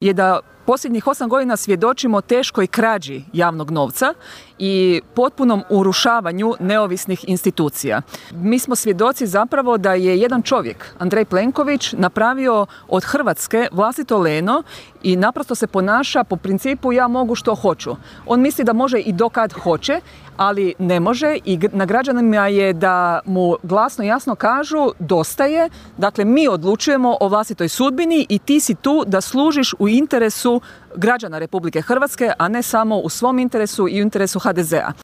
je da posljednjih 8 godina svjedočimo teškoj krađi javnog novca i potpunom urušavanju neovisnih institucija. Mi smo svjedoci zapravo da je jedan čovjek, Andrej Plenković, napravio od Hrvatske vlastito leno i naprosto se ponaša po principu ja mogu što hoću. On misli da može i dokad hoće, ali ne može i na građanima je da mu glasno i jasno kažu dosta je, dakle mi odlučujemo o vlastitoj sudbini i ti si tu da služiš u interesu građana Republike Hrvatske, a ne samo u svom interesu i u interesu HDZ-a.